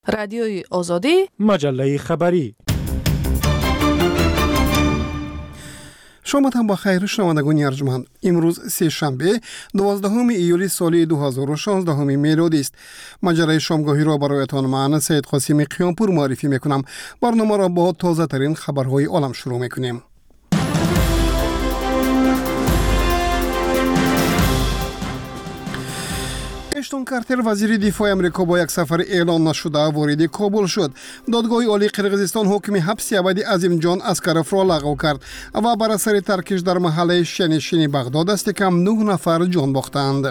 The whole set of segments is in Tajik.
Радиои Озодӣ, маҷаллаи хабарӣ. Шоматон ба хайр, шунавандагони арҷманд. Имрӯз сешанбе, 12 июли соли 2016 мелодист. Маҷаллаи шомгоҳиро бароятон ман, Саид Қосими Қиёмпур, муаррифӣ мекунам. Барномаро бо тозатарин хабарҳои олам шурӯъ мекунем. Эштон Картер, вазири дифои Амрико, бо як сафари эълон нашуда вориди Кобул шуд. Додгоҳи олии Қирғизистон ҳукми ҳабси абади Азимҷон Аскаровро лағв кард ва бар асари таркиш дар маҳаллаи шианишини Бағдод дасти кам нӯҳ нафар ҷон бохтанд.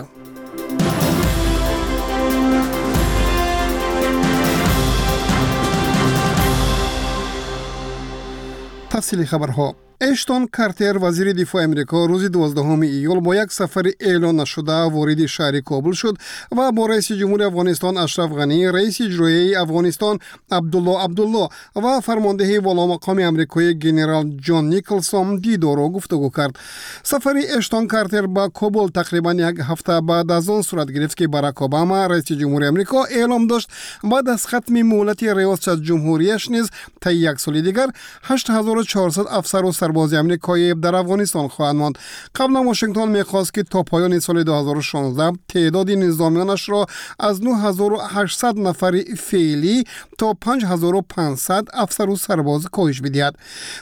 Тафсили хабарҳо. Эштон Картер, вазири дифои Амрико, рӯзи 12 июл бо як сафари эълон нашуда вориди шаҳри Кобул шуд ва бо раиси ҷумҳури Афғонистон Ашраф Ғанӣ, раиси иҷроияи Афғонистон Абдулло Абдулло ва фармондеҳи воломақоми амрикоӣ генерал Ҷон Николсон дидору гуфтугӯ кард. Сафари Эштон Картер ба Кобул тақрибан як ҳафта баъд аз он сурат гирифт, ки Барак Обама, раиси ҷумҳури Амрико, эълом дошт, баъд аз хатми муҳлати риёсатҷумҳурияш низ таи як соли дигар 8400 афсару сарбози амрикоӣ дар Афғонистон хоҳанд монд. Қаблан Вашингтон мехост, ки то поёни соли 2016 теъдоди низомиёнашро аз 9800 нафари феълӣ то 5500 афсару сарбоз коҳиш бидиҳад.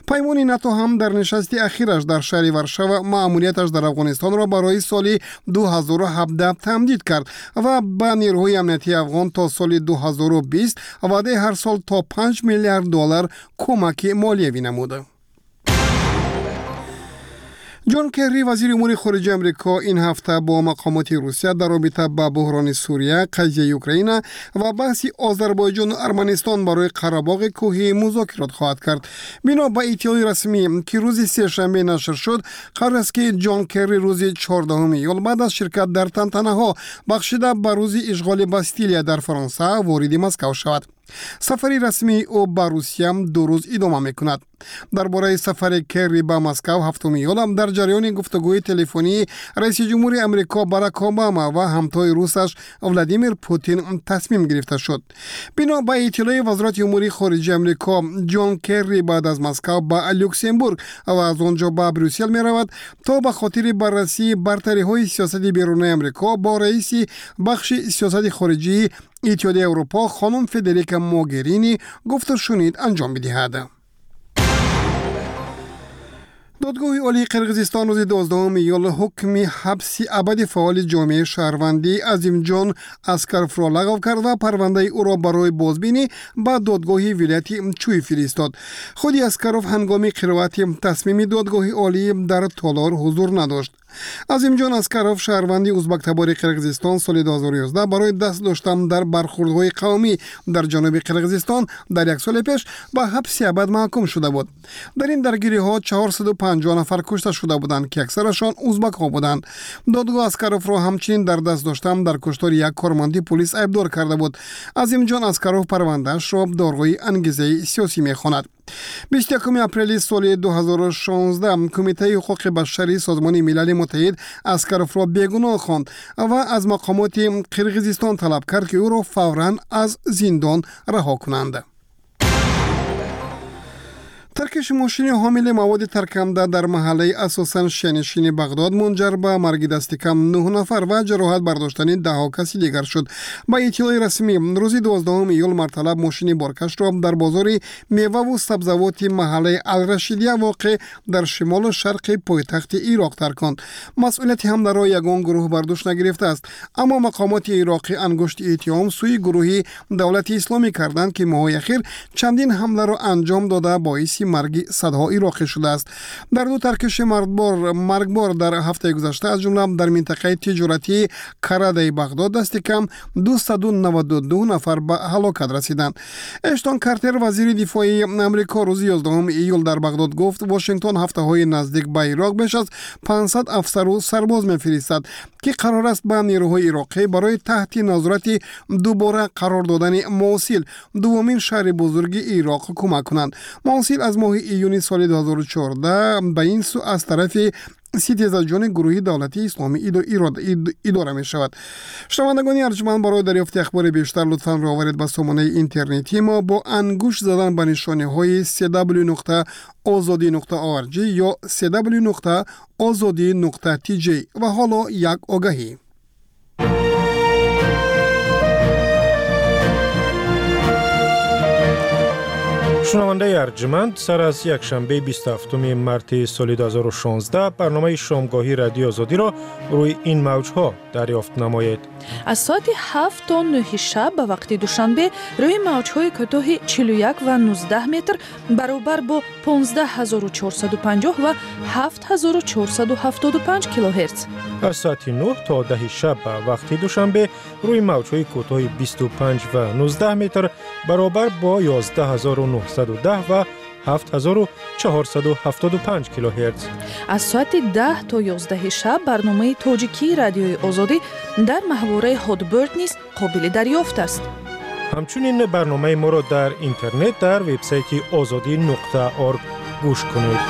Паймони НАТО ҳам дар нишасти ахираш дар шаҳри Варшава маъмурияташ дар Афғонистонро барои соли 2017 тамдид кард ва ба нерӯҳои амниятии афғон то соли 2020 ваъдаи ҳар сол то 5 миллиард доллар кӯмаки молиявӣ намуд. Ҷон Керри, вазири умури хориҷаи Амрико, ин ҳафта бо мақомоти Русия дар робита ба буҳрони Сурия, қазияи Украина ва баҳси Озарбойҷону Арманистон барои Қарабоғи кӯҳӣ музокирот хоҳад кард. Бино ба иттилои расмӣ, ки рӯзи сешанбе нашр шуд, қарор аст, ки Ҷон Керри рӯзи 14 июл баъд аз ширкат дар тантанаҳо, бахшида ба рӯзи ишғоли Бастилия дар Фаронса, вориди Москав шавад. Сафари расмии ӯ ба Русия 2 рӯз идома мекунад. Дар бораи сафари Керри ба Москав 7 июл дар ҷараёни гуфтугӯи телефонии раиси ҷумҳури Амрико Барак Обама ва ҳамтои русаш Владимир Путин тасмим гирифта шуд. Бино ба иттилои Вазорати умури хориҷаи Амрико, Ҷон Керри баъд аз Москав ба Люксембург ва аз он ҷо ба Брюссел меравад, то ба хотири баррасии бартариҳои сиёсати берунаи Амрико бо раиси бахши сиёсати хориҷии Иттиҳоди Аврупо хонум Федерика Могерини гуфтушунид анҷом бидиҳад. Додгоҳи олии Қирғизистон рӯзи 12 июл ҳукми ҳабси абади фаъоли ҷомеаи шаҳрвандӣ Азимҷон Аскаровро лағв кард ва парвандаи ӯро барои бозбинӣ ба додгоҳи вилояти Чӯй фиристод. Худи Аскаров ҳангоми қироати тасмими додгоҳи олӣ дар толор ҳузур надошт. Азимҷон Аскаров, шаҳрванди узбактабори Қирғизистон, соли 2011 барои даст доштан дар бархурдҳои қавмӣ дар ҷануби Қирғизистон дар як соли пеш ба ҳабси абад маҳкум шуда буд. Дар ин даргириҳо 450 нафар кушта шуда буданд, ки аксарашон узбакҳо буданд. Додгоҳ Аскаровро ҳамчунин дар даст доштан дар куштори як корманди пулис айбдор карда буд. Азимҷон Аскаров парвандаашро дорои ангезаи сиёсӣ мехонад. 21 апрели соли 2016 Кумитаи ҳуқуқи башарии Созмони Милали Муттаҳид Аскаровро бегуноҳ хонд ва аз мақомоти Қирғизистон талаб кард, ки ӯро фавран аз зиндон раҳо кунанд. Таркиши мошини ҳомили маводи тарканда дар маҳаллаи асосан шианишини Бағдод мунҷар ба марги дасти кам нӯҳ нафар ва ҷароҳат бардоштани даҳҳо каси дигар шуд. Ба иттилои расмӣ, рӯзи 12 июл марталаб мошини боркашро дар бозори меваву сабзавоти маҳаллаи Алрашидия, воқеъ дар шимолу шарқи пойтахти Ироқ, тарконд. Масъулияти ҳамларо ягон гурӯҳ бар дӯш нагирифтааст, аммо мақомоти ироқӣ ангушти иттиҳом сӯи гурӯҳи Давлати Исломӣ карданд, ки моҳҳои ахир чандин ҳамларо анҷом дода, боиси марги садҳо ироқӣ шудааст. Дар ду таркиши маргбор дар ҳафтаи гузашта, аз ҷумла дар минтақаи тиҷоратии Карадаи Бағдод, дасти кам 292 нафар ба ҳалокат расиданд. Эштон Картер, вазири дифои Амрико, рӯзи 11 июл дар Бағдод гуфт, Вашингтон ҳафтаҳои наздик ба Ироқ беш аз 500 афсару сарбоз мефиристад, ки қарор аст ба нерӯҳои ироқӣ барои таҳти назорати дубора қарор додани Мосил, дуввумин шаҳри бузурги Ироқ, кӯмак кунанд. Мосил аз моҳи июни соли 2014 ба ин сӯ аз тарафи Ситезаҷони гурӯҳи давлатии исломӣ идора мешавад. Шунавандагони арҷманд, барои дарёфти ахбори бештар лутфан рӯ оваред ба сомонаи интернетии мо бо ангушт задан ба нишониҳои cw нуқта озодӣ нуқта org ё cw нуқта озодӣ нуқта tj. Ва ҳоло як огаҳӣ. Шунавандаи арҷманд, сар аз якшанбеи 27 марти соли 2016 барномаи шомгоҳии Радиои Озодиро рӯи ин мавҷҳо дарёфт намоед. Аз соати 7 то 9 шаб ба вақти Душанбе рӯи мавҷҳои кӯтоҳи 41 ва 19 метр баробар бо 15450 ва 7475 килогерц. Аз соати 9 то 10 шаб ба вақти Душанбе рӯи мавҷҳои кӯтоҳи 25 ва 19 метр баробар бо 11910 ва 7475 килогерц. Аз соати 10 то 11 шаб барномаи тоҷикии Радиои Озодӣ дар маҳвораи Hotbird низ қобили дарёфт аст. Ҳамчунин барномаи моро дар интернет дар вебсайти озодӣ нуқта орг гӯш кунед.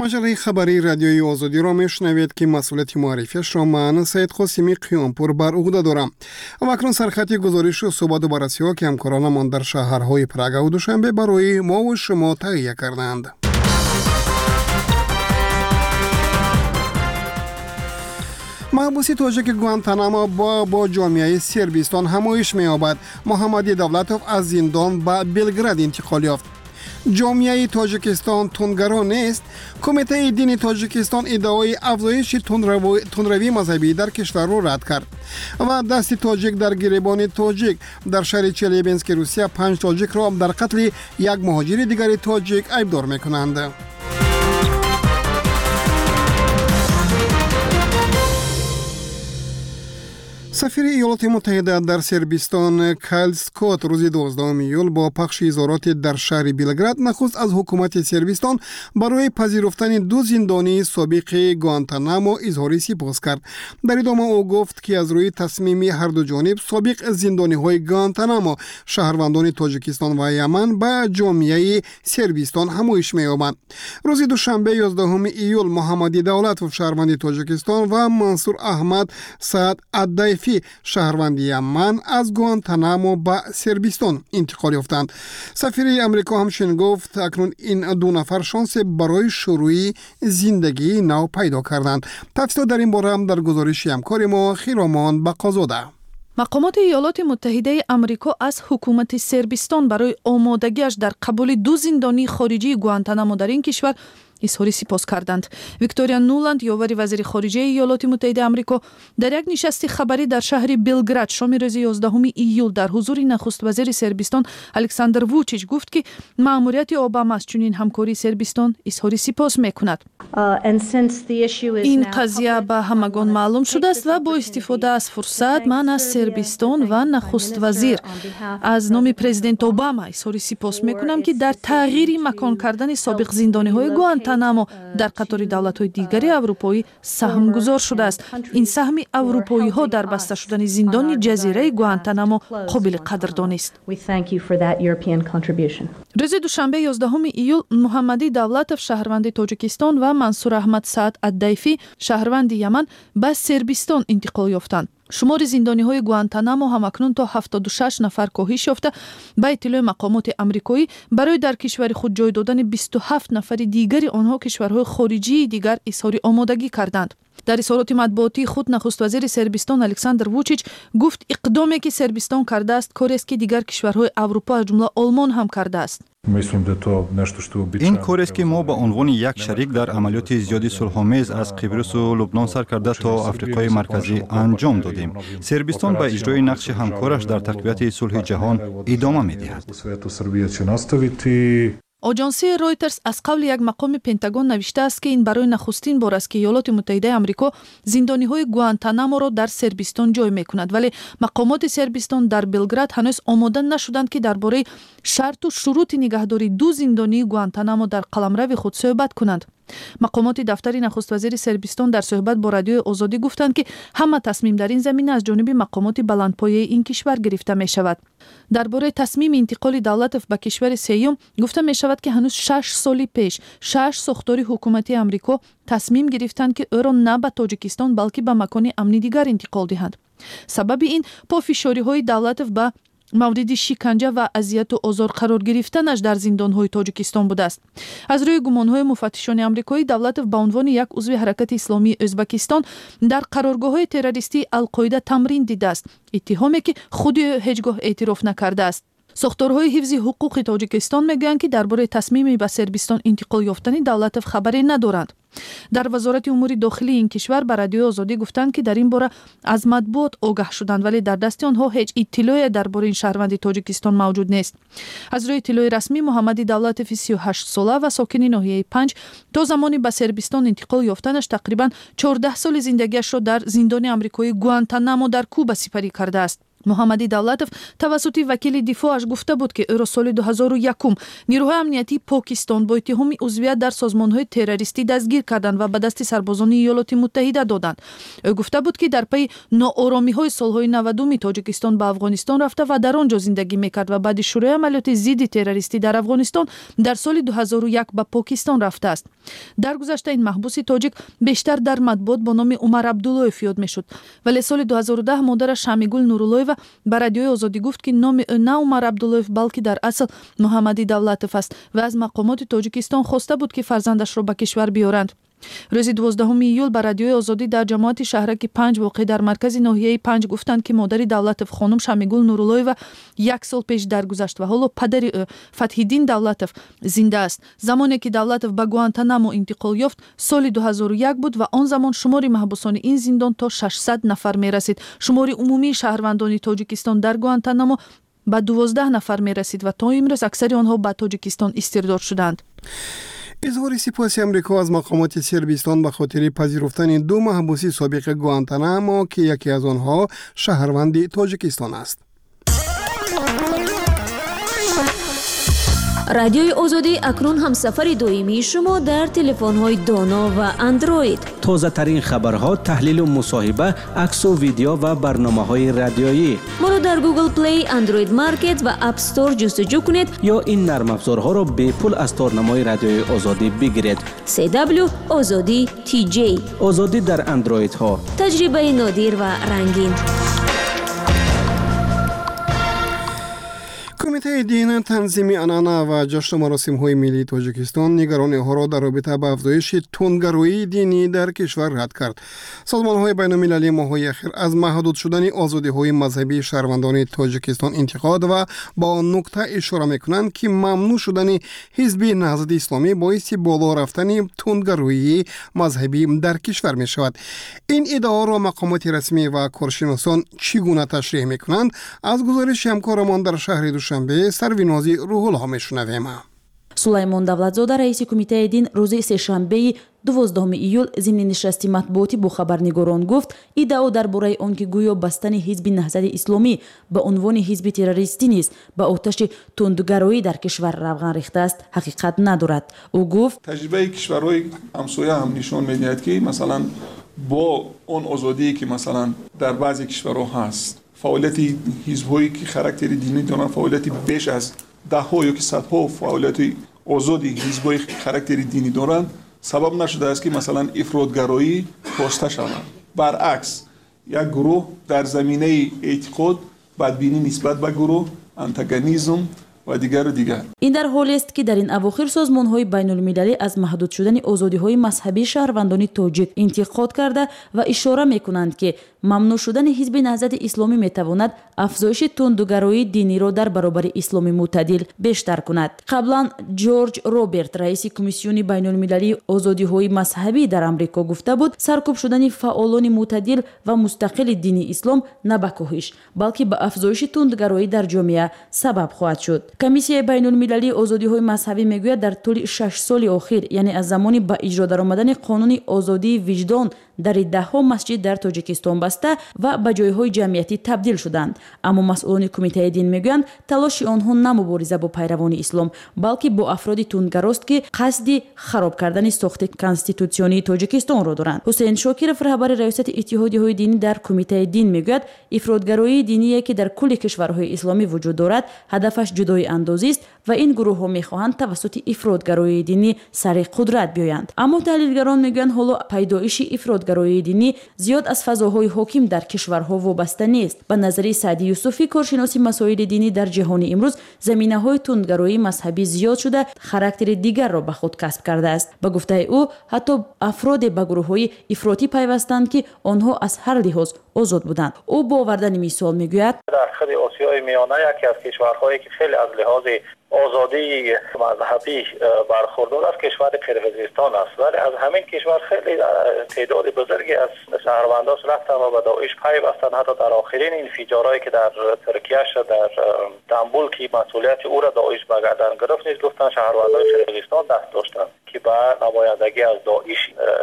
Маҷаллаи хабарии Радиои Озодиро мешунавед, ки масъулияти муаррифиашро ман, Саид Қосими Қиёмпур, бар уҳда дорам. Ва акнун сархати гузоришу суҳбату баррасиҳо, ки ҳамкоронамон дар шаҳрҳои Прагаву Душанбе барои мову шумо таҳия кардаанд. Маҳбуси тоҷики Гуантанамо бо ҷомеаи Сербистон ҳамоиш меёбад. Муҳаммади Давлатов аз зиндон ба Белград интиқол ёфт. Ҷомеаи Тоҷикистон тундгаро нест. Кумитаи дини Тоҷикистон иддаои афзоиши тундравии мазҳабӣ дар кишварро рад кард. Ва дасти тоҷик дар гиребони тоҷик. Дар шаҳри Челябински Русия 5 тоҷикро дар қатли як муҳоҷири дигари тоҷик айбдор мекунанд. Сафири Иёлоти Муттаҳида дар Сербистон Кайл Скотт рӯзи 12 июл бо пахши изҳороти дар шаҳри Белград нахуст аз ҳукумати Сербистон барои пазируфтани ду зиндонии собиқи Гуантанамо изҳори сипос кард. Дар идома ӯ гуфт, ки аз рӯи тасмими ҳарду ҷониб собиқ зиндониҳои Гуантанамо, шаҳрвандони Тоҷикистон ва Яман, ба ҷомеаи Сербистон ҳамоиш меёбанд. Рӯзи душанбе 11 июл Муҳаммади Давлатов, шаҳрванди Тоҷикистон, ва Мансур Аҳмад Саад Аддайфӣ, шаҳрванди Яман, аз Гуантанамо ба Сербистон интиқол ёфтанд. Сафири Амрико ҳамчунин гуфт, акнун ин ду нафар шонсе барои шурӯи зиндагии нав пайдо карданд. Тафсилот дар ин бора дар гузориши ҳамкори мо Хиромон Бақозода. Мақомоти Иёлоти Муттаҳидаи Амрико аз ҳукумати Сербистон барои омодагиаш дар қабули ду зиндонии хориҷии Гуантанамо дар ин кишвар изҳори сипос карданд. Виктория Нуланд, ёвари вазири хориҷаи Иёлоти Муттаҳидаи Амрико, дар як нишасти хабарӣ дар шаҳри Белград шоми рӯзи 11 июл дар ҳузури нахуствазири Сербистон Александр Вучич гуфт, ки маъмурияти Обама аз чунин ҳамкории Сербистон изҳори сипос мекунад. Ин қазия ба ҳамагон маълум шудааст ва бо истифода аз фурсат ман аз Сербистон ва нахуствазир аз номи президент Обама изҳори сипос мекунам, ки дар тағйири макон кардани собиқ зиндониҳои Гуантанамо дар қатори давлатҳои дигари аврупоӣ саҳмгузор шудааст. Ин саҳми аврупоиҳо дар баста шудани зиндони ҷазираи Гуантанамо қобили қадрдонист. Рӯзи душанбе 11 июл Муҳаммади Давлатов, шаҳрванди Тоҷикистон, ва Мансур Аҳмад Саад Аддайфӣ, шаҳрванди Яман, ба Сербистон интиқол ёфтанд. Шумори зиндониҳои Гуантанамо ҳамакнун то 76 нафар коҳиш ёфта, ба иттилои мақомоти амрикоӣ барои дар кишвари худ ҷой додани 27 нафари дигари онҳо кишварҳои хориҷии дигар изҳори омодагӣ карданд. Дар изҳороти матбуотии худ нахуствазири Сербистон Александр Вучич гуфт, иқдоме ки Сербистон кардааст, корест, ки дигар кишварҳои Аврупо, аз ҷумла Олмон, ҳам кардааст. Ин корест, ки мо ба унвони як шарик дар амалиёти зиёди сулҳомез аз Қибрису Лубнон сар карда то Африқои Марказӣ анҷом додем. Сербистон ба иҷрои нақши ҳамкораш дар тақвияти сулҳи ҷаҳон идома медиҳад. Оҷонсии Ройтерс аз қавли як мақоми Пентагон навиштааст, ки ин барои нахустин бор аст, ки Иёлоти Муттаҳидаи Амрико зиндониҳои Гуантанаморо дар Сербистон ҷой мекунад, вале мақомоти Сербистон дар Белград ҳанӯз омода нашуданд, ки дар бораи шарту шурути нигаҳдории ду зиндонии Гуантанамо дар қаламрави худ суҳбат кунанд. Мақомоти дафтари нахуствазири Сербистон дар суҳбат бо Радиои Озодӣ гуфтанд, ки ҳама тасмим дар ин замина аз ҷониби мақомоти баландпояи ин кишвар гирифта мешавад. Дар бораи тасмими интиқоли Давлатов ба кишвари сеюм гуфта мешавад, ки ҳанӯз 6 соли пеш шаш сохтори ҳукумати Амрико тасмим гирифтанд, ки ӯро на ба Тоҷикистон, балки ба макони амни дигар интиқол диҳанд. Сабаби ин пофишориҳои Давлатов ба мавриди шиканҷа ва азияту озор қарор гирифтанаш дар зиндонҳои Тоҷикистон будааст. Аз рӯи гумонҳои муфаттишони амрикоӣ, Давлатов ба унвони як узви Ҳаракати исломии Ӯзбакистон дар қароргоҳҳои террористии Алқоида тамрин дидааст, иттиҳоме ки худи ӯ ҳеҷ гоҳ эътироф накардааст. Сохторҳои ҳифзи ҳуқуқи Тоҷикистон мегӯянд, ки дар бораи тасмими ба Сербистон интиқол ёфтани Давлатов хабаре надоранд. Дар Вазорати умури дохилии ин кишвар ба Радиои Озодӣ гуфтанд, ки дар ин бора аз матбуот огаҳ шуданд, вале дар дасти онҳо ҳеҷ иттилоъе дар бораи ин шаҳрванди Тоҷикистон мавҷуд нест. Аз рӯи иттилои расмӣ, Муҳаммади Давлатови 38-сола ва сокини ноҳияи Панҷ то замони ба Сербистон интиқол ёфтанаш тақрибан 14 соли зиндагиашро дар зиндони амрикоии Гуантанамо дар Куба сипарӣ кардааст. Муҳаммади Давлатов тавассути вакили дифоъаш гуфта буд, ки ӯро соли 2001 нирӯҳои амниятии Покистон бо иттиҳоми узвият дар созмонҳои террористӣ дастгир карданд ва ба дасти сарбозони Иёлоти Муттаҳида доданд. Ӯ гуфта буд, ки дар пайи ноОромиҳои солҳои 90-уми Тоҷикистон ба Афғонистон рафта ва дар он ҷо зиндагӣ мекард ва баъди шурӯи амалиёти зидди террористӣ дар Афғонистон дар соли 2001 ба Покистон рафтааст. Дар гузашта ин маҳбуси тоҷик бештар дар матбуот бо номи Умар Абдуллоев ёд мешуд, вале соли 2010 модараш Шамигул Нуруллоева ба Радиои Озодӣ гуфт, ки номи ӯ на Умар Абдуллоев, балки дар асл Муҳаммади Давлатов аст ва аз мақомоти Тоҷикистон хоста буд, ки фарзандашро ба кишвар биёранд. Рӯзи 12 июл ба Радиои Озодӣ дар ҷамоати шаҳраки Панҷ, воқеъ дар маркази ноҳияи Панҷ, гуфтанд, ки модари Давлатов, хонум Шамигул Нуруллоева, як сол пеш даргузашт ва ҳоло падари ӯ, Фатҳиддин Давлатов, зинда аст. Замоне ки Давлатов ба Гуантанамо интиқол ёфт, соли 2001 буд ва он замон шумори маҳбусони ин зиндон то 600 нафар мерасид. Шумори умумии шаҳрвандони Тоҷикистон дар Гуантанамо ба 12 нафар мерасид ва то имрӯз аксари онҳо ба Тоҷикистон истирдод шуданд. Изҳори сипоси Амрико аз мақомоти Сербистон ба хотири пазируфтани ду маҳбуси собиқи Гуантанамо, ки яке аз онҳо шаҳрванди Тоҷикистон аст. Радиои Озодӣ акнун ҳамсафари доимии шумо дар телефонҳои доно ва Андроид. Тозатарин хабарҳо, таҳлилу мусоҳиба, аксу видео ва барномаҳои радиоӣ. Моро дар Google Play, Android Market ва App Store ҷустуҷӯ кунед. Ё ин нармафзорҳоро бепул аз торнамои Радиои Озодӣ бигиред. CW Озодӣ TJ. Озодӣ дар андроидҳо. Таҷрибаи нодир ва рангин. Кумитаи дин, танзими анъана ва ҷашну маросимҳои миллии Тоҷикистон нигарониҳоро дар робита ба афзоиши тундгароии динӣ дар кишвар рад кард. Созмонҳои байналмилалӣ моҳҳои ахир аз маҳдуд шудани озодиҳои мазҳабии шаҳрвандони Тоҷикистон интиқод ва ба он нукта ишора мекунанд, ки мамнӯъ шудани Ҳизби Наҳзати Исломӣ боиси боло рафтани тундгароии мазҳабӣ дар кишвар мешавад. Ин иддаоро мақомоти расмӣ ва коршиносон чӣ гуна ташриҳ мекунанд, аз гузориши ҳамкорамон дар шаҳри Душанбе Сарвинози Рӯҳулло мешунавем. Сулаймон Давлатзода, раиси Кумитаи дин, рӯзи сешанбеи 12 июл зимни нишасти матбуотӣ бо хабарнигорон гуфт, иддао дар бораи он ки гӯё бастани Ҳизби Наҳзати Исломӣ ба унвони ҳизби террористӣ низ ба оташи тундгароӣ дар кишвар равған рехтааст, ҳақиқат надорад. Ӯ гуфт: Таҷрибаи кишварҳои ҳамсоя ҳам нишон медиҳад, ки масалан бо он озодие, ки масалан дар баъзе кишварҳо ҳаст, фаъолияти ҳизбҳое, ки характери динӣ доранд, фаъолияти беш аз даҳҳо ё ки садҳо фаъолияти озоди ҳизбҳои характери динӣ доранд, сабаб нашудааст, ки масалан ифротгароӣ коста шавад. Баръакс, як гурӯҳ дар заминаи эътиқод, бадбинӣ нисбат ба гурӯҳ, антагонизм ва дигару дигар. Ин дар ҳолест, ки дар ин авохир созмонҳои байнулмилалӣ аз маҳдуд шудани озодиҳои мазҳабии шаҳрвандони тоҷик интиқод карда ва ишора мекунанд, ки мамнӯъ шудани Ҳизби Наҳзати Исломӣ метавонад афзоиши тундгароии диниро дар баробари исломи мӯътадил бештар кунад. Қаблан Ҷорҷ Роберт, раиси Комиссиони байнулмилалии озодиҳои мазҳабӣ дар Амрико, гуфта буд, саркӯб шудани фаъолони мӯътадил ва мустақили дини ислом на ба коҳиш, балки ба афзоиши тундгароӣ дар ҷомеа сабаб хоҳад шуд. Комиссияи байнулмилалии озодиҳои мазҳабӣ мегӯяд, дар тӯли 6 соли охир, яъне аз замони ба иҷро даромадани қонуни озодии виҷдон Дари даҳҳо масҷид дар Тоҷикистон баста ва ба ҷойҳои ҷамъиятӣ табдил шуданд. Аммо масъулони Кумитаи дин мегӯянд, талоши онҳо на мубориза бо пайравони ислом, балки бо афроди тундгарост, ки қасди хароб кардани сохти конститутсионии Тоҷикистонро доранд. Ҳусейн Шокиров, раҳбари раёсати иттиҳодиҳои динӣ дар Кумитаи дин, мегӯяд, ифротгароии диние, ки дар кулли кишварҳои исломӣ вуҷуд дорад, ҳадафаш ҷудоиандозист ва ин гурӯҳҳо мехоҳанд тавассути ифротгароии динӣ сари қудрат биёянд. Аммо таҳлилгарон мегӯянд, ҳоло пайдоиши ифротгароии динӣ зиёд аз фазоҳои ҳоким дар кишварҳо вобаста нест. Ба назари Саъди Юсуфӣ, коршиноси масоили динӣ, дар ҷаҳони имрӯз заминаҳои тундгароии мазҳабӣ зиёд шуда, характери дигарро ба худ касб кардааст. Ба гуфтаи ӯ, ҳатто афроде ба гурӯҳҳои ифротӣ пайвастанд, ки онҳо аз ҳар лиҳоз озод буданд. Ӯ бо овардани мисол мегӯяд: дар худи Осиёи Миёна яке аз кишварҳое, ки хеле аз лиҳози озодии мазҳабӣ бархурдор аст, кишвари Қирғизистон аст. Вале аз ҳамин кишвар хеле теъдоди бузурге аз шаҳрвандош рафтанд ва ба Доиш пайвастанд. Ҳатто дар охирин инфиҷорҳое, ки дар Туркия шуд, дар Стамбул, ки масъулияти ӯро Доиш ба гардан гирифт, низ гуфтанд шаҳрвандони Қирғизистон даст доштанд, ки ба намояндагӣ аз Доиш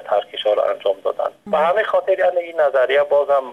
таркишҳоро анҷом доданд. Ба ҳамин хотир, яъне ин назария боз ҳам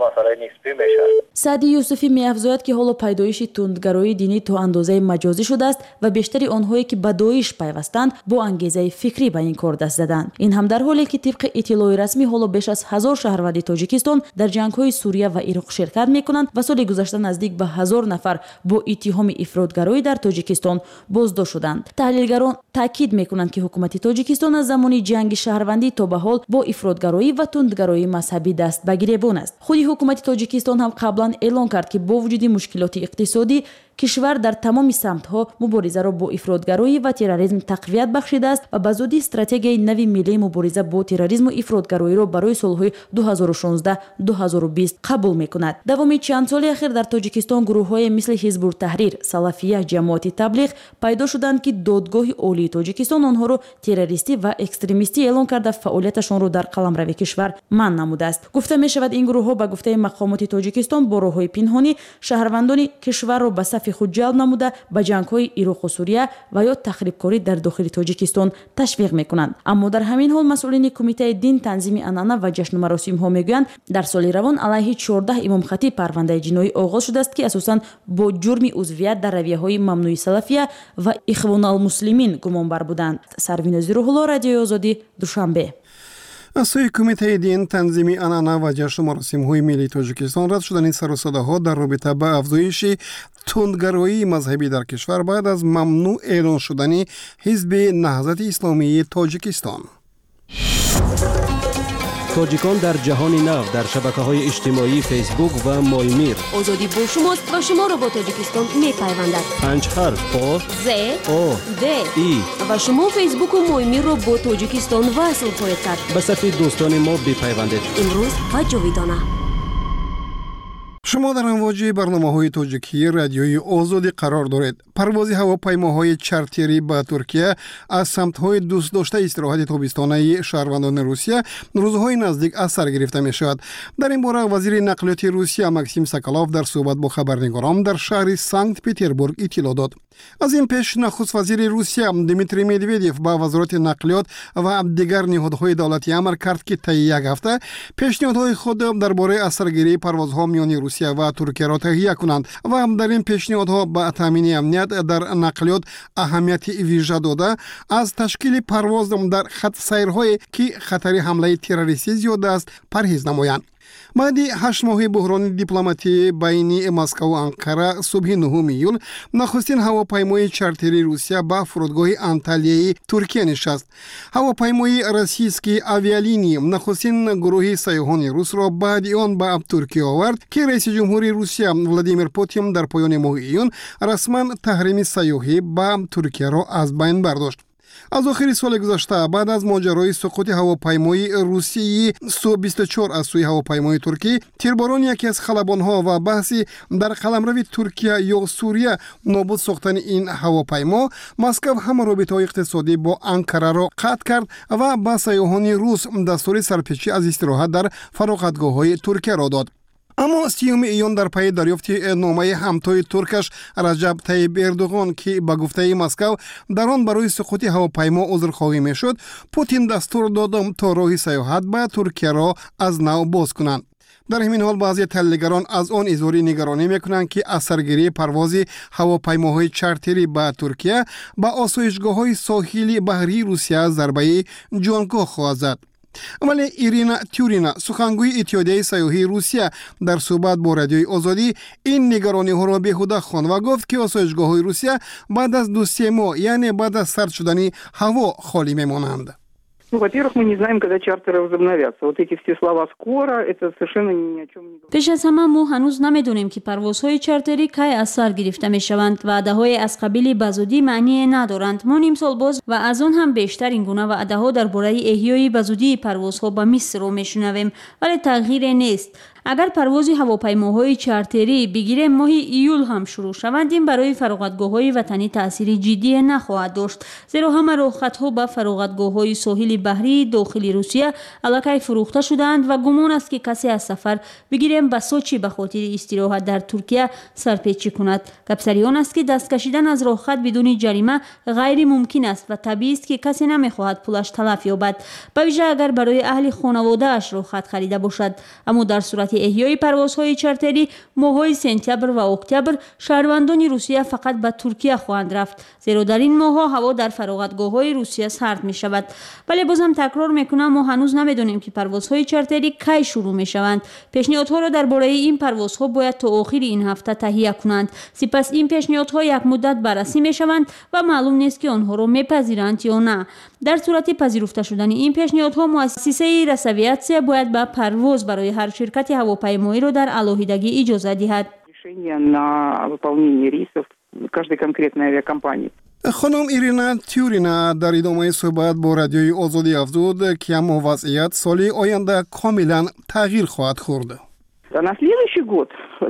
масъалаи нисбӣ мешавад. Саъди Юсуфӣ меафзояд, ки ҳоло пайдоиши тундгароии динӣ то андозаи маҷозӣ шудааст ва бештари онҳое, ки ба Доиш пайвастанд, бо ангезаи фикрӣ ба ин кор даст заданд. Ин ҳам дар ҳоле, ки тибқи иттилои расмӣ ҳоло беш аз 1000 шаҳрванди Тоҷикистон дар ҷангҳои Сурия ва Ироқ ширкат мекунанд ва соли гузашта наздик ба 1000 нафар бо иттиҳоми ифротгароӣ дар Тоҷикистон боздошт шуданд. Таҳлилгарон таъкид мекунанд, ки ҳукумати Тоҷикистон аз замони ҷанги шаҳрвандӣ то ба ҳол бо ифротгароӣ ва тундгароии мазҳабӣ даст ба гиребон аст. Худи ҳукумати Тоҷикистон ҳам қаблан эълон кард, ки бо вуҷуди мушкилоти иқтисодӣ кишвар дар тамоми самтҳо муборизаро бо ифротгароӣ ва терроризм тақвият бахшидааст ва ба зудӣ стратегияи нави миллии мубориза бо терроризму ифротгароиро барои солҳои 2016-2020 қабул мекунад. Давоми чанд соли ахир дар Тоҷикистон гурӯҳҳое мисли Ҳизбуртаҳрир, Салафия, Ҷамоати Таблиғ пайдо шуданд, ки Додгоҳи Олии Тоҷикистон онҳоро террористӣ ва экстремистӣ эълон карда, фаъолияташонро дар қаламрави кишвар манъ намудааст. Гуфта мешавад, ин гурӯҳҳо, ба гуфтаи мақомоти Тоҷикистон, бо роҳҳои пинҳонӣ шаҳрвандони кишварро ба сафи худ ҷалб намуда, ба ҷангҳои Ироқу Сурия ва ё тахрибкорӣ дар дохили Тоҷикистон ташвиқ мекунанд. Аммо дар ҳамин ҳол масъулини Кумитаи дин, танзими анъана ва ҷашну маросимҳо мегӯянд, дар соли равон алайҳи 14 имомхатиб парвандаи ҷиноӣ оғоз шудааст, ки асосан бо ҷурми узвият дар равияҳои мамнӯи салафия ва Ихвоналмуслимин гумонбар буданд. Сарвинози Рӯҳулло, Радиои Озодӣ, Душанбе. Аз сӯи Кумитаи дин, танзими анъана ва ҷашну маросимҳои миллии Тоҷикистон рад шудани сарусадаҳо дар робита ба афзоиши тундгароии мазҳабӣ дар кишвар баъд аз мамнӯъ эълон шудани Ҳизби Наҳзати Исломии Тоҷикистон. Тоҷикон дар ҷаҳони нав дар шабакаҳои иҷтимоии Фейсбук ва Моймир. Озодӣ бо шумост ва шуморо бо Тоҷикистон мепайвандад. Панҷ ҳарф: О, З, О, Д, И. Ва шумо Фейсбуку Моймирро бо Тоҷикистон васл хоҳед кард. Ба сафи дӯстони мо бипайвандед. Имрӯз ва ҷовидона. Шумо дар амвоҷи барномаҳои тоҷикии Радиои Озодӣ қарор доред. Парвози ҳавопаймоҳои чартерӣ ба Туркия аз самтҳои дӯстдоштаи истироҳати тобистонаи шаҳрвандони Русия рӯзҳои наздик аз сар гирифта мешавад. Дар ин бора вазири нақлиёти Русия Максим Соколов дар суҳбат бо хабарнигорон дар шаҳри Санкт Петербург иттилоъ дод. Аз ин пеш нахуствазири Русия Дмитрий Медведев ба Вазорати нақлиёт ва дигар ниҳодҳои давлатӣ амр кард, ки таи як ҳафта пешниҳодҳои худ дар бораи аз саргирии парвозҳо миёни Русия ва Туркияро таҳия кунанд ва дар ин пешниҳодҳо ба таъмини амният дар нақлиёт аҳамияти вижа дода, аз ташкили парвоз дар хатсайрҳое, ки хатари ҳамлаи террористӣ зиёд аст, парҳез намоянд. Баъди 8 моҳи буҳрони дипломатӣ байни Москаву Анқара, субҳи 9 июл нахустин ҳавопаймои чартерии Русия ба фурудгоҳи Анталияи Туркия нишаст. Ҳавопаймои Российские авиалинии нахустин гурӯҳи сайёҳони русро баъди он ба Туркия овард, ки раиси ҷумҳури Русия Владимир Путин дар поёни моҳи июн расман таҳрими сайёҳӣ ба Туркияро аз байн бардошт. Аз охири соли гузашта, баъд аз моҷарои суқути ҳавопаймои русии Су-24 аз сӯи ҳавопаймои туркӣ, тирборони яке аз халабонҳо ва баҳси дар қаламрави Туркия ё Сурия нобуд сохтани ин ҳавопаймо, Москав ҳама робитаҳои иқтисодӣ бо Анкараро қатъ кард ва ба сайёҳони рус дастури сарпечӣ аз истироҳат дар фароғатгоҳҳои Туркияро дод. Аммо 30 июн дар пайи дарёфти номаи ҳамтои туркаш Раҷаб Таиб Эрдуғон, ки ба гуфтаи Москав дар он барои суқути ҳавопаймо узрхоҳӣ мешуд, Путин дастур дод, то роҳи сайёҳат ба Туркияро аз нав боз кунанд. Дар ҳамин ҳол баъзе таҳлилгарон аз он изҳори нигаронӣ мекунанд, ки аз саргирии парвози ҳавопаймоҳои чартерӣ ба Туркия ба осоишгоҳҳои соҳили баҳрии Русия зарбаи ҷонгоҳ хоҳад зад. Вале Ирина Тюрина, сухангӯи Иттиҳодияи сайёҳии Русия, дар суҳбат бо Радиои Озодӣ ин нигарониҳоро беҳуда хонд ва гуфт, ки осоишгоҳҳои Русия баъд аз 2-се моҳ, яъне баъд аз сард шудани ҳаво, холӣ мемонанд. Ну, во-первых, мы не знаем, когда чартеры возобновятся. Вот эти все слова «скоро» это совершенно ни о чем не говорит. Пеш аз ҳама мо ҳанӯз намедонем, ки парвозҳои чартерӣ кай аз сар гирифта мешаванд. Ваъдаҳое аз қабили ба зудӣ маъние надоранд. Мо нимсол боз ва аз он ҳам бештар ин гуна ваъдаҳо дар бораи эҳёи ба зудии парвозҳо ба Мисрро мешунавем, вале тағйире нест. Агар парвози ҳавопаймоҳои чартерӣ бигирем, моҳи июл ҳам шурӯъ шаванд, ин барои фароғатгоҳҳои ватанӣ таъсири ҷиддие нахоҳад дошт, зеро ҳама роҳхатҳо ба фароғатгоҳҳои соҳили баҳрии дохили Русия аллакай фурӯхта шудаанд ва гумон аст, ки касе аз сафар бигирем ба Сочи ба хотири истироҳат дар Туркия сарпечӣ кунад. Гапсари он аст, ки даст кашидан аз роҳхат бидуни ҷарима ғайримумкин аст ва табиист, ки касе намехоҳад пулаш талаф ёбад, ба вижа агар барои аҳли хонаводааш роҳхат харида бошад. Аммо дар сурати эҳёи парвозҳои чартерӣ моҳҳои сентябр ва октябр шаҳрвандони Русия фақат ба Туркия хоҳанд рафт, зеро дар ин моҳҳо ҳаво дар фароғатгоҳҳои Русия сард мешавад. Вале бозам такрор мекунам, мо ҳанӯз намедонем, ки парвозҳои чартерӣ кай шурӯъ мешаванд. Пешниҳодҳоро дар бораи ин парвозҳо бояд то охири ин ҳафта таҳия кунанд. Сипас ин пешниҳодҳо як муддат баррасӣ мешаванд ва маълум нест, ки онҳоро мепазиранд ё на. Дар сурати пазируфта шудани ин пешниҳодҳо муассисаи Росавиатсия бояд ба парвоз барои ҳар ширкати ҳавопаймоиро дар алоҳидагӣ иҷоза диҳад. На выполнение рейсов каждой конкретной авиакомпании. Хонум Ирина Тюрина дар идомаи суҳбат бо Радиои Озодӣ афзуд, ки аммо вазъият соли оянда комилан тағйир хоҳад хӯрд. А на следующий год,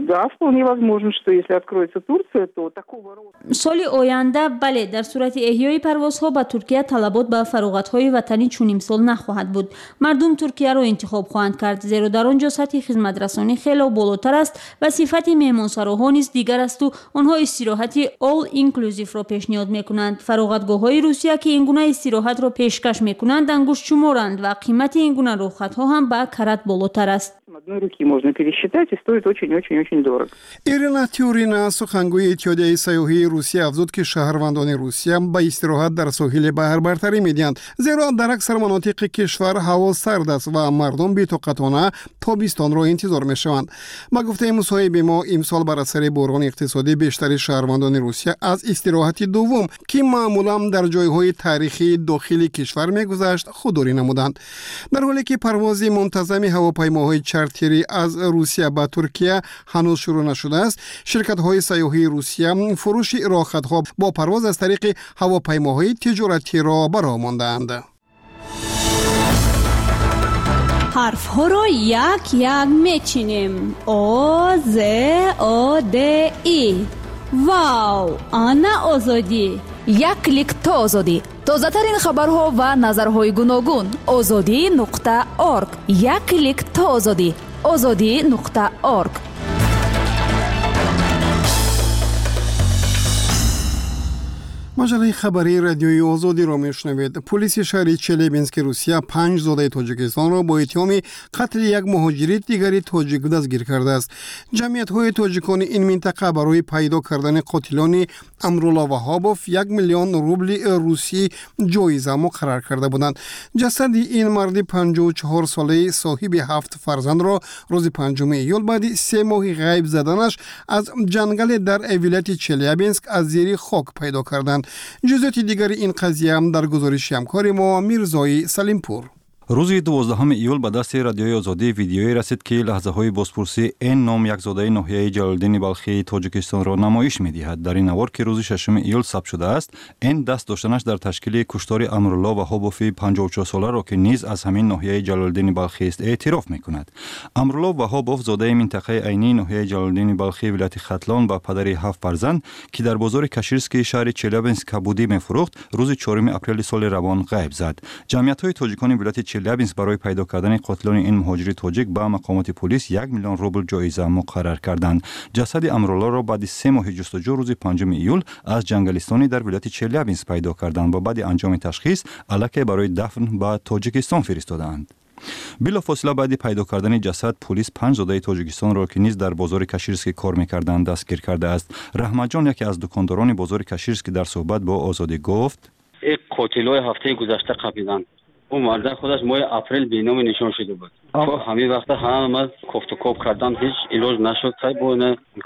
да, вполне возможно, что если откроется Турция, то такого рода. Соли оянда, бале, дар сурати эҳёи парвозҳо ба Туркия талабот ба фароғатҳои ватанӣ чун имсол нахоҳад буд. Мардум Туркияро интихоб хоҳанд кард, зеро дар он ҷо сатҳи хизматрасонӣ хело болотар аст ва сифати меҳмонсароҳо низ дигар асту онҳо истироҳати all inclusive-ро пешниҳод мекунанд. Фароғатгоҳҳои Русия, ки ин гуна истироҳатро пешкаш мекунанд, ангуштшуморанд ва қимати ин гуна роҳхатҳо ҳам ба карат болотар аст. Одной руки можно пересчитать, и стоит очень-очень-очень дорого. Ирина Тюрина, сухангӯи Иттиҳодияи сайёҳии Русия, афзуд, ки шаҳрвандони Русия ба истироҳат дар соҳили баҳр бартарӣ медиҳанд, зеро дар аксар манотиқи кишвар ҳаво сард аст ва мардум бетоқатона тобистонро интизор мешаванд. Ба гуфтаи мусоҳиби мо, имсол бар асари буҳрони иқтисодӣ бештари шаҳрвандони Русия аз истироҳати дуввум, ки маъмулан дар ҷойҳои таърихии дохили кишвар мегузашт, худдорӣ намуданд. Дар ҳоле ки парвози мунтазами ҳавопаймоҳои чартерӣ аз Русия ба Туркия ҳанӯз шурӯъ нашудааст, ширкатҳои сайёҳии Русия фурӯши роҳхатҳо бо парвоз аз тариқи ҳавопаймоҳои тиҷоратиро ба роҳ мондаанд. Ҳарфҳоро як як мечинем: О, З, О, Д, И. Вау, ана озодӣ! Як клик то озодӣ. Тозатарин хабарҳо ва назарҳои гуногун. Озодӣ.орг. Як клик то озодӣ. Озодӣ.орг. Маҷаллаи хабарии Радиои Озодиро мешунавед. Пулиси шаҳри Челябински Русия панҷ зодаи Тоҷикистонро бо иттиҳоми қатли як муҳоҷири дигари тоҷик дастгир кардааст. Ҷамъиятҳои тоҷикони ин минтақа барои пайдо кардани қотилони Амрулло Ваҳобов 1 миллион рубли русӣ ҷоиза муқаррар карда буданд. Ҷасади ин марди 54-солаи соҳиби ҳафт фарзандро рӯзи 5 июл баъди 3 моҳи ғайб заданаш аз ҷангале дар вилояти Челябинск аз зери хок пайдо карданд. Ҷузъиёти дигари ин қазия дар гузориши ҳамкори мо Мирзои Салимпур. Рӯзи 12 июл ба дасти Радиои Озодӣ видеое расид, ки лаҳзаҳои бозпурсии Н ном як зодаи ноҳияи Ҷалолиддини Балхии Тоҷикистонро намоиш медиҳад. Дар ин навор, ки рӯзи 6 июл сабт шудааст, Н даст доштанаш дар ташкили куштори Амрулло Ваҳобови 54-соларо, ки низ аз ҳамин ноҳияи Ҷалолиддини Балхист, эътироф мекунад. Амрулло Ваҳобов, зодаи минтақаи Айнии ноҳияи Ҷалолиддини Балхии вилояти Хатлон ва падари ҳафт фарзанд, ки дар бозори Каширскии шаҳри Челябинск кабудӣ мефурӯхт, рӯзи 4 апрели соли равон ғайб зад. Ҷамъиятҳои тоҷикони вилояти Челябинск барои пайдо кардани қотилони ин муҳоҷири тоҷик ба мақомоти полис 1 миллион рубл ҷоиза муқаррар карданд. Ҷасади Амруллоро баъди 3 моҳи ҷустуҷӯ рӯзи 5 июл аз ҷангалистоне дар вилояти Челябинск пайдо карданд ва баъди анҷоми ташхис аллакай барои дафн ба Тоҷикистон фиристодаанд. Билофосила баъди пайдо кардани ҷасад пулис панҷ зодаи Тоҷикистонро, ки низ дар бозори Каширский кор мекарданд, дастгир кардааст. Раҳматҷон, яке аз дукондорони бозори Каширский, дар суҳбат бо Озодӣ гуфт: Қотилҳои ҳафтаи гузашта қапиданд. Ӯ марда худаш моҳи апрел беному нишон шуда буд. То ҳамин вақта ҳама кофтукоб кардан, ҳеҷ илоҷ нашуд. Сай бо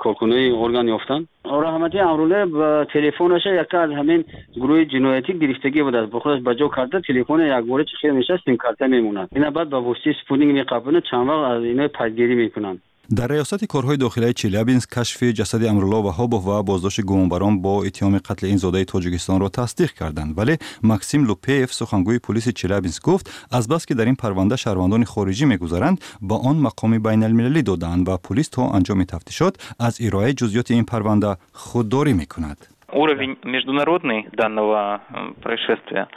коркунои орган ёфтанд. Раҳмати Амрулла ба телефонаша яка аз ҳамин гурӯҳи ҷиноятӣ гирифтагӣ будааст, бо худаш ба ҷо карда. Телефона якбора чӣ хел мешавад, симкарта мемонад. Ина баъд ба воситаи спутник меқапонад, чанд вақт аз ино пайгирӣ мекунанд. Дар раёсати корҳои дохилаи Челябинск кашфи ҷасади Амрулло Ваҳобов ва боздошти гумонбарон бо иттиҳоми қатли ин зодаи Тоҷикистонро тасдиқ карданд, вале Максим Лупеев, сухангӯи пулиси Челябинск, гуфт, азбаски дар ин парванда шаҳрвандони хориҷӣ мегузаранд, ба он мақоми байналмилалӣ додаанд ва пулис то анҷоми тафтишот аз ироаи ҷузъиёти ин парванда худдорӣ мекунад. Уровень международный данного происшествия.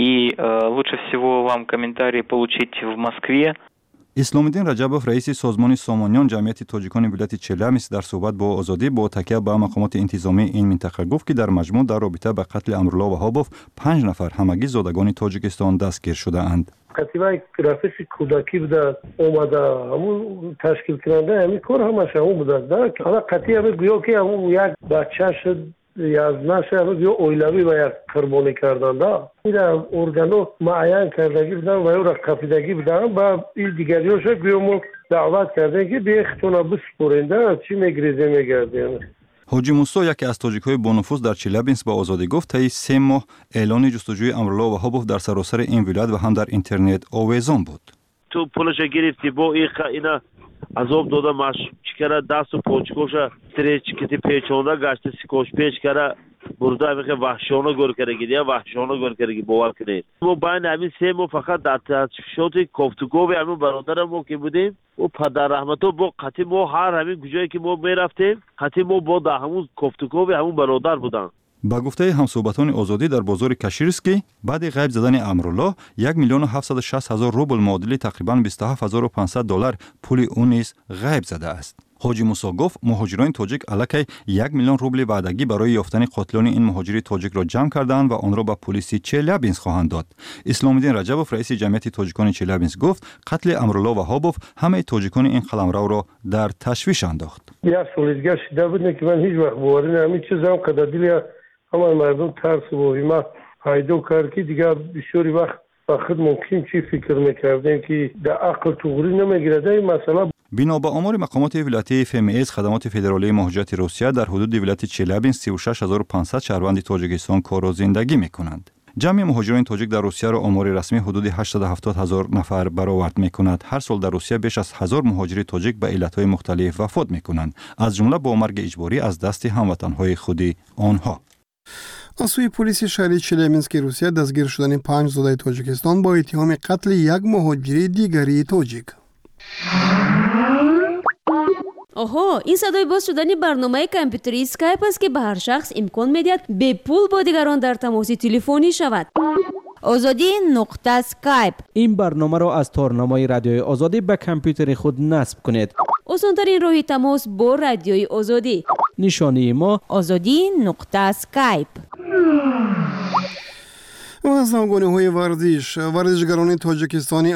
И лучше всего вам комментарии получить в Москве. Исломиддин Раҷабов, раиси созмони Сомониён, ҷамъияти тоҷикони вилояти Челябинск, дар суҳбат бо Озодӣ бо такя ба мақомоти интизомии ин минтақа гуфт, ки дар маҷмӯъ дар робита ба қатли Амрулло Ваҳобов панҷ нафар, ҳамагӣ зодагони Тоҷикистон, дастгир шудаанд. Қатибаи рафиқи кӯдакӣ будааст, омада ҳамун ташкилкунандаи ҳамин кор ҳамаш ҳамун будааст. Ҳала қатъи ҳами гӯё ки ҳамун як бача шуд, язнаша ё оилавӣ ва як қурбонӣ карданда. Ира органо муайян кардагӣ буданд ва ёра қафидагӣ буданд. Ба и дигариёша гӯё мо даъват кардем, ки бехтона биспоренда, чӣ мегрезем, мегардем. Ҳоҷи Мусо, яке аз тоҷикҳои бонуфуз дар Челябинск, ба Озодӣ гуфт, таи 3 моҳ эълони ҷустуҷӯи Амрулло Ваҳобов дар саросари ин вилоят ва ҳам дар интернет овезон буд. Ту пулаша гирифтӣ, бо ина азоб дода, чӣ кара, дасту почкоша стрейч-кити печонда, гашта скотч печ кара бурда, ҳамихе ваҳшиёна гӯр кардаги, я ваҳшиёна гӯр кардаги. Бовар кунед, мо байни ҳамин 3 моҳ фақат дар тафтишоти кофтукови ҳамин бародарам мо ки будем, ӯ падарраҳмато бо қатъи мо ҳар ҳамин куҷое ки мо мерафтем, қатъи мо бо дар ҳамун кофтукови ҳамун бародар буданд. Ба гуфтаи ҳамсӯҳбатони Озодӣ, дар бозори Каширский баъди ғайб задани Амруллоҳ 1 760 000 рубл, муодили тақрибан 27 500 доллар пули ӯ низ ғайб задааст. Ҳоҷи Мусо гуфт, муҳоҷирони тоҷик аллакай 1 миллион рубли ваъдагӣ барои ёфтани қотилони ин муҳоҷири тоҷикро ҷамъ кардаанд ва онро ба пулиси Челябинск хоҳанд дод. Исломиддин Раҷабов, раиси ҷамъияти тоҷикони Челябинск, гуфт, қатли Амрулло Ваҳобов ҳамаи тоҷикони ин қаламравро дар ташвиш андохт. Як соли дигар шида буд, ки ман ҳеҷ вақт боварӣ ҳамин чизам қадар дили ҳамаи мардум тарсу воҳима пайдо кард, ки дигар бисёри вақт ба худ мумкин чӣ фикр мекардем, ки дар ақл туғрӣ намегирад ин масъала. Бино ба омори мақомоти вилоятии ФМС, Хадамоти федералии муҳоҷирати Русия, дар ҳудуди вилояти Челябинск 36 500 шаҳрванди Тоҷикистон кору зиндагӣ мекунанд. Ҷамъи муҳоҷирони тоҷик дар Русияро омори расмӣ ҳудуди 870 ҳазор нафар баровард мекунад. Ҳар сол дар Русия беш аз 1000 муҳоҷири тоҷик ба иллатҳои мухталиф вафот мекунанд, аз ҷумла бо марги иҷборӣ аз дасти ҳамватанҳои худи онҳо. Аз сӯи полиси шаҳри Челябински Русия дастгир шудани панҷ зодаи Тоҷикистон бо иттиҳоми қатли як муҳоҷири дигари тоҷик. Оҳо, ин садои боз шудани барномаи компютерии Скайп аст, ки ба ҳар шахс имкон медиҳад бепул бо дигарон дар тамоси телефонӣ шавад. Озодӣ нуқта Скайп. Ин барномаро аз торнамои Радиои Озодӣ ба компютери худ насб кунед. Осонтарин роҳи тамос бо Радиои Озодӣ. Нишонии мо: Озодӣ нуқта Скайп. Ва аз навгониҳои варзиш: варзишгарони тоҷикистони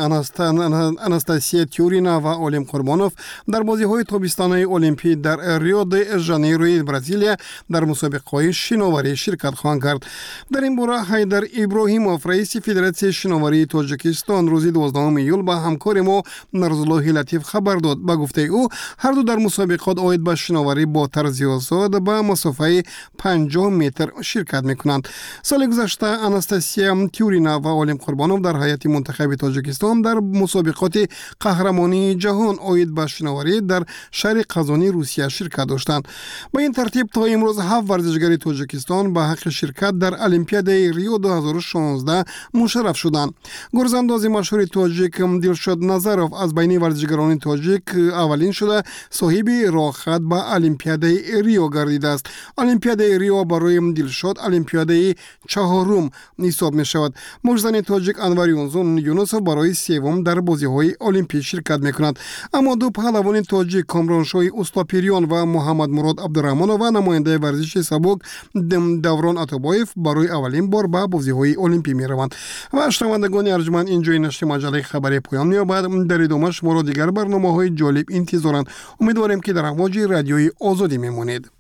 Анастасия Тюрина ва Олим Қурбонов дар бозиҳои тобистонаи Олимпӣ дар Рио де Жанейрои Бразилия дар мусобиқаҳои шиноварӣ ширкат хоҳанд кард. Дар ин бора Ҳайдар Иброҳимов, раиси Федератсияи шиноварии Тоҷикистон, рӯзи 12 июл ба ҳамкори мо Нарзуллоҳи Латиф хабар дод. Ба гуфтаи ӯ, ҳарду дар мусобиқот оид ба шиноварӣ бо тарзи озод ба масофаи 50 метр ширкат мекунанд. Соли гузашта Анастасия Тюрина ва Олим Қурбонов дар ҳайати мунтахаби Тоҷикистон дар мусобиқоти қаҳрамонии ҷаҳон оид ба шиноварӣ дар шаҳри Қазони Русия ширкат доштанд. Ба ин тартиб, то имрӯз ҳафт варзишгари Тоҷикистон ба ҳаққи ширкат дар Олимпиадаи Рио 2016 мушарраф шуданд. Гурзандози машҳури тоҷик Дилшод Назаров аз байни варзишгарони тоҷик аввалин шуда соҳиби роҳхат ба Олимпиадаи Рио гардидааст. Олимпиадаи Рио барои Дилшод олимпиадаи чаҳорум ҳисоб ҳисоб мешавад. Муштзани тоҷик Анвар Юнусов барои севум дар бозиҳои олимпӣ ширкат мекунад. Аммо ду паҳлавони тоҷик, Комроншоҳи Устопирён ва Муҳаммадмурод Абдураҳмонов, ва намояндаи варзиши сабук Даврон Атобоев барои аввалин бор ба бозиҳои олимпӣ мераванд. Ва, шунавандагони арҷманд, ин ҷои нашри маҷаллаи хабаре поён меёбад. Дар идома шуморо дигар барномаҳои ҷолиб интизоранд. Умедворем, ки дар амвоҷи Радиои Озодӣ мемонед.